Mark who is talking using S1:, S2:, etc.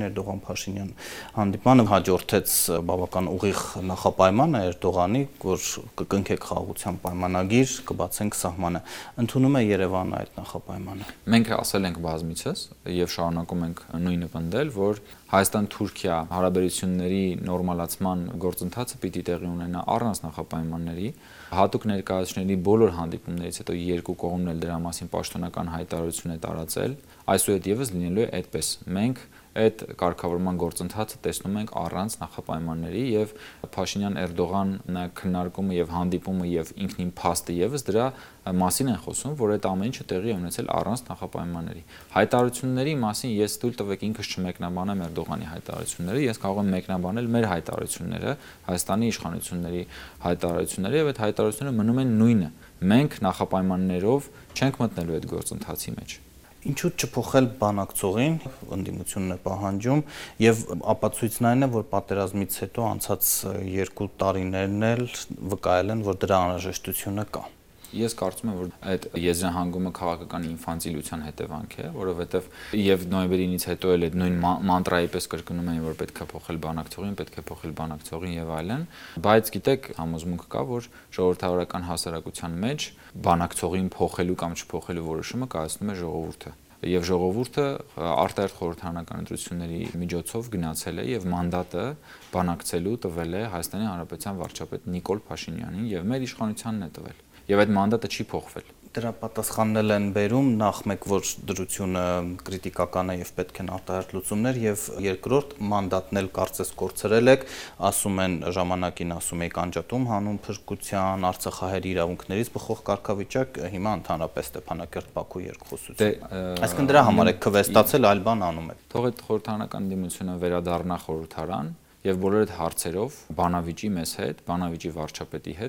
S1: Էրդողան-Փաշինյան հանդիպանը հաջորդեց բավական ուղիղ նախապայմանը Էրդողանի, որ կկնքեք խաղաղության պայմանագիր, կբացենք սահմանը։ Ընդունում է Երևանը այդ նախապայմանը։
S2: Մենք ասել ենք բազմիցս եւ շարունակում ենք նույնը պնդել, որ Հայաստան-Թուրքիա հարաբերությունների նորմալացման գործընթացը պիտի տեղի ունենա առանց նախապայմանների, հատուկ ներկայացուցիչների բոլոր հանդիպումներից հետո երկու կողմն էլ դրա մասին պաշտոնական հայտարարություն է տարածել, այսուհետ եւս լինելու է այդպես։ Մենք այդ կարգավորման գործընթացը տեսնում ենք առանց նախապայմանների եւ Փաշինյան-Էրդողան քննարկումը եւ հանդիպումը եւ ինքնին փաստը եւս դրա մասին են խոսում, որ այդ ամեն ինչը տեղի է ունեցել առանց նախապայմանների։ Հայտարարությունների մասին ես թույլ տվեք ինքս չմեկնաբանեմ Էրդողանի հայտարարությունները, ես կարող եմ մեկնաբանել մեր հայտարարությունները, Հայաստանի իշխանությունների հայտարարությունները եւ այդ հայտարարությունները մնում են նույնը։ Մենք նախապայմաններով չենք մտնելու այդ գործընթացի մեջ։
S1: Ինչու չփոխել բանակցողին, ընդդիմությունն է պահանջում, եւ ապացույցն այն է, որ պատերազմից հետո անցած 2 տարիներն էլ վկայել են, որ դրա անհրաժեշտությունը կա։
S2: Ես կարծում եմ, որ այդ եզրահանգումը քաղաքական ինֆանտիլության հետևանք է, որովհետև եւ նոյեմբերից հետո էլ այդ նույն մանտրայի պես կրկնում են, որ պետք է փոխել բանակցողին, պետք է փոխել բանակցողին եւ այլն, բայց գիտեք, համոզմունք կա, որ ժողովրդավարական հասարակության մեջ բանակցողին փոխելու կամ չփոխելու որոշումը կայացնում է ժողովուրդը։ Եվ ժողովուրդը արտահերթ խորհրդարանական ընտրությունների միջոցով գնացել է եւ մանդատը բանակցելու տվել է Հայաստանի Հանրապետության վարչապետ Նիկոլ Փաշինյանին եւ մեր իշխանությանն է տվել։ Եվ այդ մանդատը չի փոխվել։
S1: Դրա պատասխաննել են բերում նախ մեկ, որ դրությունը քրիտիկական է եւ պետք են արտահերթ լուծումներ, եւ երկրորդ մանդատն էլ կարծես կորցրել եք, ասում են ժամանակին ասում եք անջատում հանուն փրկության, Արցախահայերի իրավունքներից բխող կարգավիճակ, հիմա ընդհանրապես Ստեփանակերտ-Բաքու երկխոսություն։ Այսինքն դրա համար եք քվեստացել, այլ բան անում եք։
S2: Թող այդ խորհրդարանական դիմությունը վերադառնա խորհրդարան եւ բոլոր այդ հարցերով բանավիճի մեզ հետ, բանավիճի վարչապետի հետ